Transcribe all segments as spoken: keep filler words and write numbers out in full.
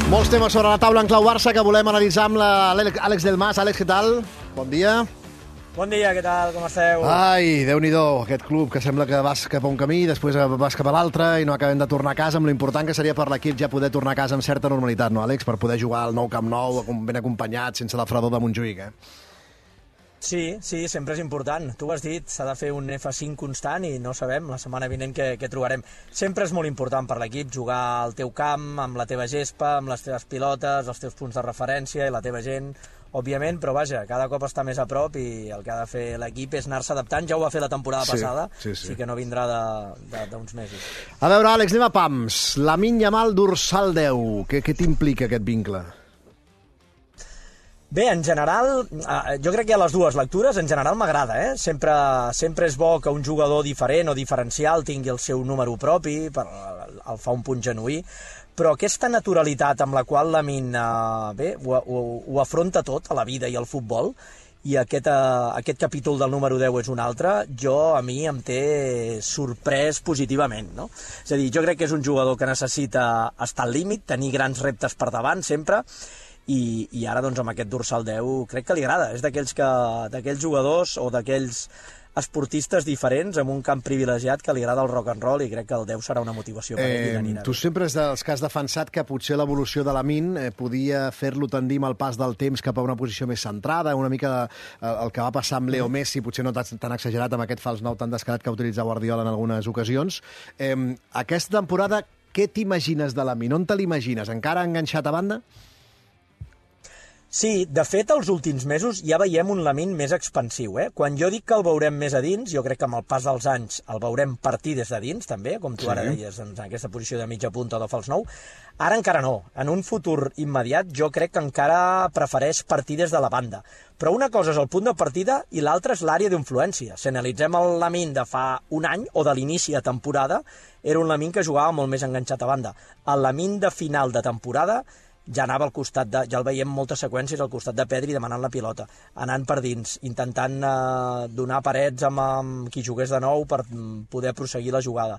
Molts temes sobre la taula en clau Barça que volem analitzar amb l'Àlex Del Mas. Àlex, què tal? Bon dia. Bon dia, què tal? Com esteu? Ai, Déu-n'hi-do, aquest club que sembla que vas cap a un camí, després vas cap a l'altre i no acabem de tornar a casa, amb l'important que seria per l'equip ja poder tornar a casa amb certa normalitat, no, Àlex? Per poder jugar al nou Camp Nou, ben acompanyat, sense la fredor de Montjuïc, eh? Sí, sí, sempre és important. Tu ho has dit, s'ha de fer un F cinc constant i no sabem la setmana vinent què, què trobarem. Sempre és molt important per l'equip jugar al teu camp, amb la teva gespa, amb les teves pilotes, els teus punts de referència i la teva gent, òbviament, però vaja, cada cop està més a prop i el que ha de fer l'equip és anar-se adaptant. Ja ho va fer la temporada sí, passada, sí, sí. sí que no vindrà d'uns mesos. A veure, Àlex, anem a pams. Lamine Yamal, dorsal deu. Què, què t'implica aquest vincle? Bé, en general, jo crec que hi ha les dues lectures. En general m'agrada, eh? Sempre, sempre és bo que un jugador diferent o diferencial tingui el seu número propi, per, el fa un punt genuí, però aquesta naturalitat amb la qual Lamine eh, bé, ho, ho, ho afronta tot a la vida i al futbol, i aquest, eh, aquest capítol del número deu és un altre, jo a mi em té sorprès positivament, no? És a dir, jo crec que és un jugador que necessita estar al límit, tenir grans reptes per davant sempre, I, i ara doncs amb aquest dorsal deu crec que li agrada, és d'aquells que d'aquells jugadors o d'aquells esportistes diferents amb un camp privilegiat que li agrada el rock and roll i crec que el deu serà una motivació per ell. Eh, tu sempre és dels que has defensat que potser l'evolució de Lamine eh, podia fer-lo tendir amb el pas del temps cap a una posició més centrada, una mica de, eh, el que va passar amb Leo Messi, potser no tan, tan exagerat amb aquest fals nou tan descarat que ha utilitzat Guardiola en algunes ocasions. Eh, aquesta temporada, què t'imagines de Lamine? On te l'imagines? Encara enganxat a banda? Sí, de fet, els últims mesos ja veiem un Lamine més expansiu. Eh? Quan jo dic que el veurem més a dins, jo crec que amb el pas dels anys el veurem partir des de dins, també, com tu sí. ara deies, en aquesta posició de mitja punta o de fals nou. Ara encara no. En un futur immediat jo crec que encara prefereix partir des de la banda. Però una cosa és el punt de partida i l'altra és l'àrea d'influència. Si analitzem el Lamine de fa un any o de l'inici de temporada, era un Lamine que jugava molt més enganxat a banda. El Lamine de final de temporada ja anava al costat de... ja el veiem moltes seqüències al costat de Pedri demanant la pilota, anant per dins, intentant eh, donar parets amb, amb qui jugués de nou per poder proseguir la jugada.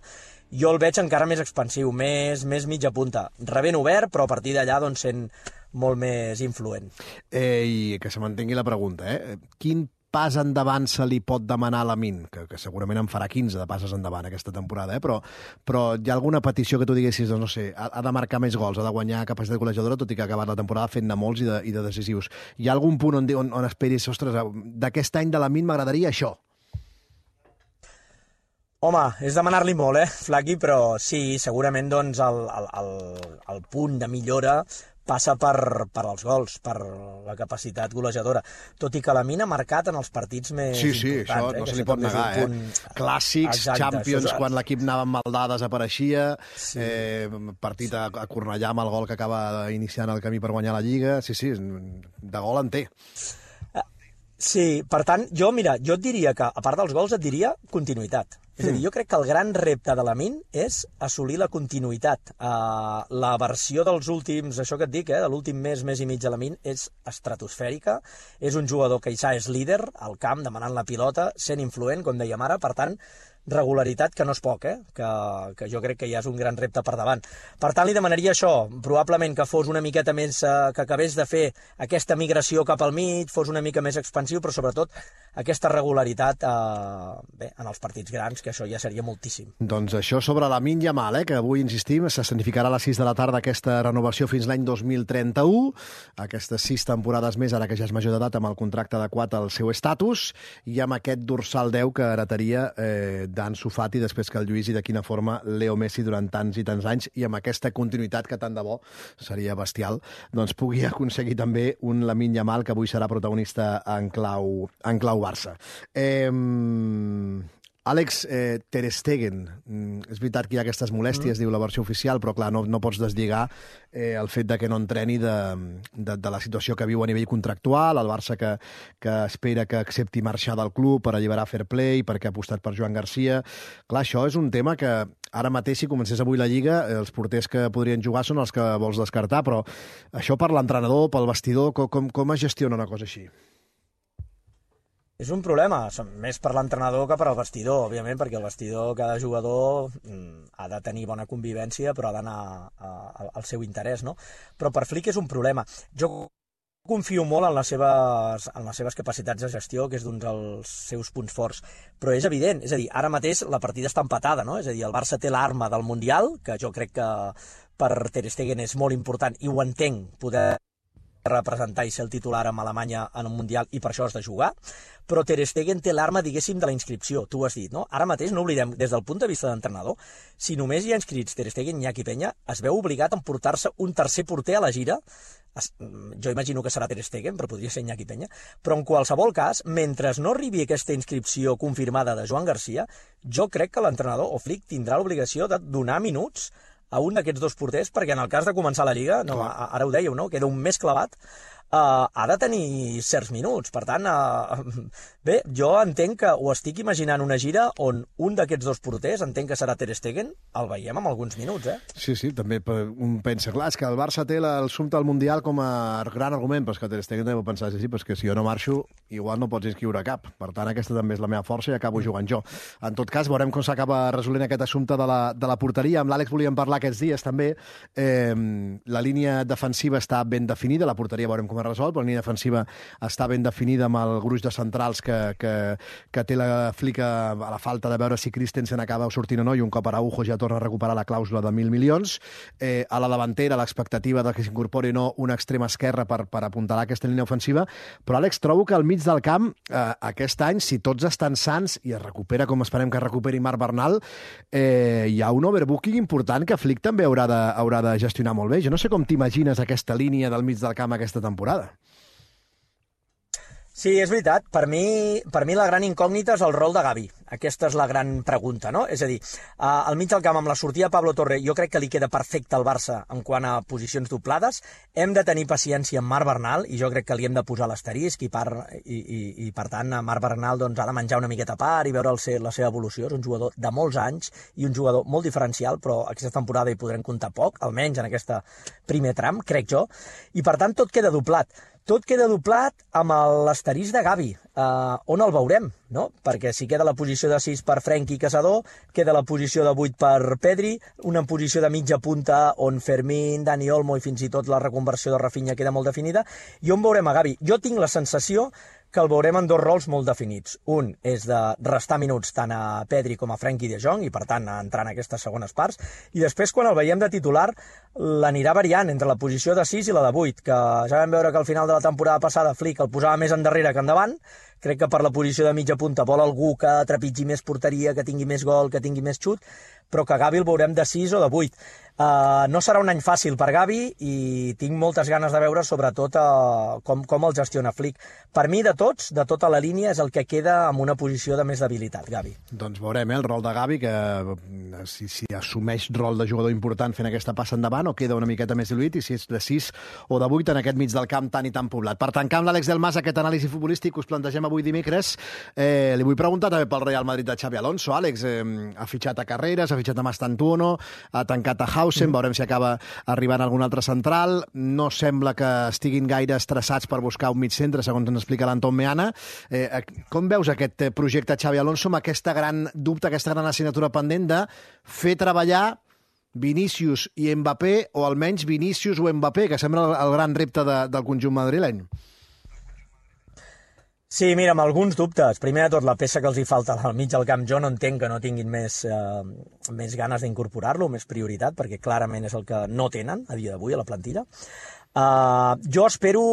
Jo el veig encara més expansiu, més, més mitja punta, rebent obert, però a partir d'allà doncs, sent molt més influent. Eh, I que se mantengui la pregunta, eh? Quin pas endavant se li pot demanar a Lamine, que, que segurament en farà quinze de passes endavant aquesta temporada, eh? però, però hi ha alguna petició que tu diguessis, no sé, ha, ha de marcar més gols, ha de guanyar capacitat golejadora, tot i que ha acabat la temporada fent-ne molts i de, i de decisius. Hi ha algun punt on, on, on esperis, ostres, d'aquest any de Lamine m'agradaria això? Home, és demanar-li molt, eh, Flaqui, però sí, segurament doncs, el, el, el, el punt de millora passa per, per els gols, per la capacitat golejadora. Tot i que Lamine ha marcat en els partits més sí, sí, importants. això no eh, se li pot negar. Punt... Eh? Clàssics, exacte, Champions, és... quan l'equip anava amb Maldà desapareixia, sí. eh, partit a, a Cornellà amb el gol que acaba iniciant el camí per guanyar la Lliga. Sí, sí, de gol en té. Sí, per tant, jo, mira, jo et diria que, a part dels gols, et diria continuïtat. És a dir, jo crec que el gran repte de Lamine és assolir la continuïtat. Uh, la versió dels últims, això que et dic, eh, de l'últim mes, mes i mig de Lamine, és estratosfèrica. És un jugador que ja és líder al camp, demanant la pilota, sent influent, com dèiem ara, per tant, regularitat que no és poc, eh? que, que jo crec que ja és un gran repte per davant. Per tant, li demanaria això, probablement que fos una miqueta més, eh, que acabés de fer aquesta migració cap al mig, fos una mica més expansiu, però sobretot aquesta regularitat eh, bé, en els partits grans, que això ja seria moltíssim. Doncs això sobre Lamine Yamal, eh, que avui, insistim, s'escenificarà a les sis de la tarda aquesta renovació fins l'any dos mil trenta-u, aquestes sis temporades més, ara que ja és major d'edat, amb el contracte adequat al seu estatus, i amb aquest dorsal deu que heretaria eh, d'Ansu Fati, després que el Lluís, i de quina forma Leo Messi durant tants i tants anys, i amb aquesta continuïtat que tant de bo seria bestial, doncs pugui aconseguir també un Lamine Yamal que avui serà protagonista en clau, en clau Barça. Eh, Àlex, eh, Ter Stegen, mm, és veritat que hi ha aquestes molèsties, mm. diu la versió oficial, però clar, no, no pots deslligar eh, el fet de que no entreni de, de, de la situació que viu a nivell contractual, el Barça que, que espera que accepti marxar del club per alliberar Fair Play, perquè ha apostat per Joan Garcia. Clar, això és un tema que ara mateix, si comencés avui la Lliga, els porters que podrien jugar són els que vols descartar, però això per l'entrenador, pel vestidor, com, com, com es gestiona una cosa així? És un problema, més per l'entrenador que per al vestidor, òbviament, perquè el vestidor, cada jugador ha de tenir bona convivència, però ha d'anar al seu interès, no? Però per Flick és un problema. Jo confio molt en les seves, en les seves capacitats de gestió, que és d'un dels seus punts forts, però és evident, és a dir, ara mateix la partida està empatada, no? És a dir, el Barça té l'arma del Mundial, que jo crec que per Ter Stegen és molt important, i ho entenc, poder representar i ser el titular amb Alemanya en un Mundial, i per això has de jugar, però Ter Stegen té l'arma, diguéssim, de la inscripció, tu ho has dit, no? Ara mateix, no oblidem, des del punt de vista d'entrenador, si només hi ha inscrits Ter Stegen i Iñaki Peña, es veu obligat a emportar-se un tercer porter a la gira. Jo imagino que serà Ter Stegen, però podria ser Iñaki Peña, però en qualsevol cas, mentre no arribi aquesta inscripció confirmada de Joan Garcia, jo crec que l'entrenador, o Flick, tindrà l'obligació de donar minuts a un d'aquests dos porters, perquè en el cas de començar la Lliga, no, ara ho dèieu, no? Queda un mes clavat, uh, ha de tenir certs minuts. Per tant, uh, bé, jo entenc que ho estic imaginant una gira on un d'aquests dos porters, entenc que serà Ter Stegen, el veiem amb alguns minuts, eh? Sí, sí, també un pensa, clar, és que el Barça té el sumpte al Mundial com a gran argument, però és que Ter Stegen també ho pensar, sí, però és que si jo no marxo, igual no pots inscriure cap. Per tant, aquesta també és la meva força i acabo jugant jo. En tot cas, veurem com s'acaba resolent aquest assumpte de la, de la porteria. Amb l'Àlex volíem parlar aquests dies també. Eh, la línia defensiva està ben definida, la porteria veurem com es resol, però la línia defensiva està ben definida amb el gruix de centrals que, que, que té la Flick a la falta de veure si Christensen acaba sortint o no, i un cop Araujo ja torna a recuperar la clàusula de mil milions. Eh, a la davantera, l'expectativa de que s'incorpori no un extrem esquerre per, per apuntalar aquesta línia ofensiva, però Àlex, trobo que al mig del camp, eh, aquest any, si tots estan sants i es recupera com esperem que es recuperi Marc Bernal, eh, hi ha un overbooking important que Flick també haurà de, haurà de gestionar molt bé. Jo no sé com t'imagines aquesta línia del mig del camp aquesta temporada. Sí, és veritat. Per mi, per mi la gran incògnita és el rol de Gavi. Aquesta és la gran pregunta, no? És a dir, al mig del camp, amb la sortida de Pablo Torre, jo crec que li queda perfecte al Barça en quant a posicions doblades. Hem de tenir paciència amb Marc Bernal, i jo crec que li hem de posar l'asterisc, i, per, i, i, i per tant, Marc Bernal doncs, ha de menjar una miqueta a part i veure el ser, la seva evolució. És un jugador de molts anys i un jugador molt diferencial, però aquesta temporada hi podrem comptar poc, almenys en aquest primer tram, crec jo, i per tant tot queda doblat. Tot queda doblat amb l'asterisc de Gavi, eh, on el veurem, no? Perquè si queda la posició de sis per Frenkie Caçador, queda la posició de vuit per Pedri, una posició de mitja punta on Fermín, Dani Olmo i fins i tot la reconversió de Rafinha queda molt definida, i on veurem a Gavi. Jo tinc la sensació que el veurem en dos rols molt definits. Un és de restar minuts tant a Pedri com a Frenkie de Jong, i per tant entrar en aquestes segones parts, i després quan el veiem de titular l'anirà variant entre la posició de sis i la de vuit, que ja vam veure que al final de la temporada passada Flick el posava més endarrere que endavant. Crec que per la posició de mitja punta vol algú que trepitgi més porteria, que tingui més gol, que tingui més xut, però que Gavi el veurem de sis o de vuit. Uh, no serà un any fàcil per Gavi i tinc moltes ganes de veure sobretot uh, com, com el gestiona Flick. Per mi, de tots, de tota la línia, és el que queda amb una posició de més debilitat, Gavi. Doncs veurem eh, el rol de Gavi, que si, si assumeix rol de jugador important fent aquesta passa endavant o queda una miqueta més diluït, i si és de sis o de vuit en aquest mig del camp tan i tan poblat. Per tancar amb l'Àlex Del Mas aquest anàlisi futbolístic que us plantegem avui dimecres, eh, li vull preguntar també pel Real Madrid de Xabi Alonso. Àlex, eh, ha fitxat a Carreras, ha fitxat a Mastantuono, ha tancat a Hausen, veurem si acaba arribant algun altre central. No sembla que estiguin gaire estressats per buscar un mig centre, segons ens explica l'Anton Meana. Eh, com veus aquest projecte Xabi Alonso amb aquesta gran dubte, aquesta gran assignatura pendent de fer treballar Vinícius i Mbappé, o almenys Vinícius o Mbappé, que sembla el gran repte de, del conjunt madrileny? Sí, mira, amb alguns dubtes. Primer de tot, la peça que els hi falta al mig del camp, jo no entenc que no tinguin més, eh, més ganes d'incorporar-lo, més prioritat, perquè clarament és el que no tenen a dia d'avui a la plantilla. Uh, jo espero,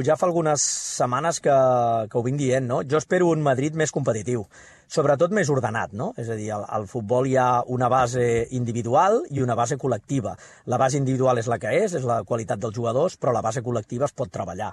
ja fa algunes setmanes que, que ho vinc dient, no? Jo espero un Madrid més competitiu, sobretot més ordenat, no? És a dir, al, al futbol hi ha una base individual i una base col·lectiva. La base individual és la que és, és la qualitat dels jugadors, però la base col·lectiva es pot treballar,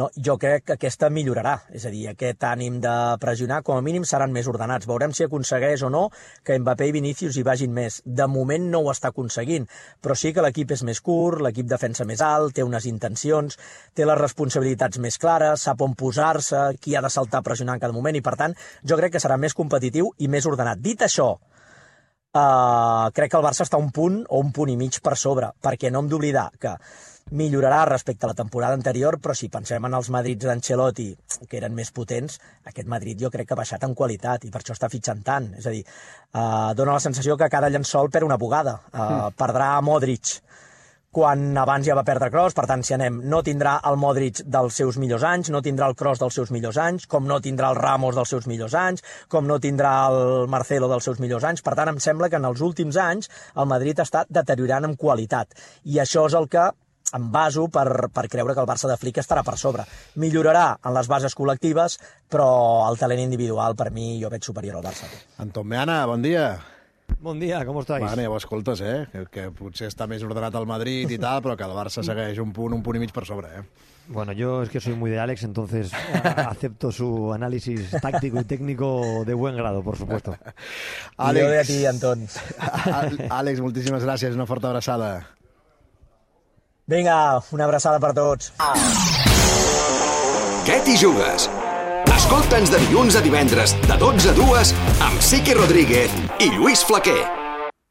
no? Jo crec que aquesta millorarà, és a dir, aquest ànim de pressionar, com a mínim seran més ordenats. Veurem si aconsegueix o no que Mbappé i Vinícius hi vagin més. De moment no ho està aconseguint, però sí que l'equip és més curt, l'equip defensa més alt, té unes intencions, té les responsabilitats més clares, sap on posar-se, qui ha de saltar a pressionar en cada moment, i per tant jo crec que serà més competitiu i més ordenat. Dit això, uh, crec que el Barça està un punt o un punt i mig per sobre, perquè no hem d'oblidar que millorarà respecte a la temporada anterior, però si pensem en els Madrids d'Ancelotti, que eren més potents, aquest Madrid jo crec que ha baixat en qualitat i per això està fitxant tant. És a dir, eh, dona la sensació que cada llençol perd una bugada. Eh, mm. Perdrà Modric quan abans ja va perdre Kroos, per tant, si anem, no tindrà el Modric dels seus millors anys, no tindrà el Kroos dels seus millors anys, com no tindrà el Ramos dels seus millors anys, com no tindrà el Marcelo dels seus millors anys. Per tant, em sembla que en els últims anys el Madrid està deteriorant en qualitat. I això és el que em baso per, per creure que el Barça de Flick estarà per sobre. Millorarà en les bases col·lectives, però el talent individual, per mi, jo veig superior al Barça. Anton Meana, bon dia. Bon dia, com estáis? Bueno, ja ho escoltes, eh? Que, que potser està més ordenat el Madrid i tal, però que el Barça segueix un punt, un punt i mig per sobre, eh? Bueno, yo es que soy muy de Alex, entonces acepto su análisis táctico y técnico de buen grado, por supuesto. Àlex, jo de a ti, Anton. Àlex, moltíssimes gràcies, una forta abraçada. Vinga, una abraçada per tots. Què t'hi jugues? Escolta'ns de dilluns a divendres, de dotze a dues, amb Siqui Rodríguez i Lluís Flaquer.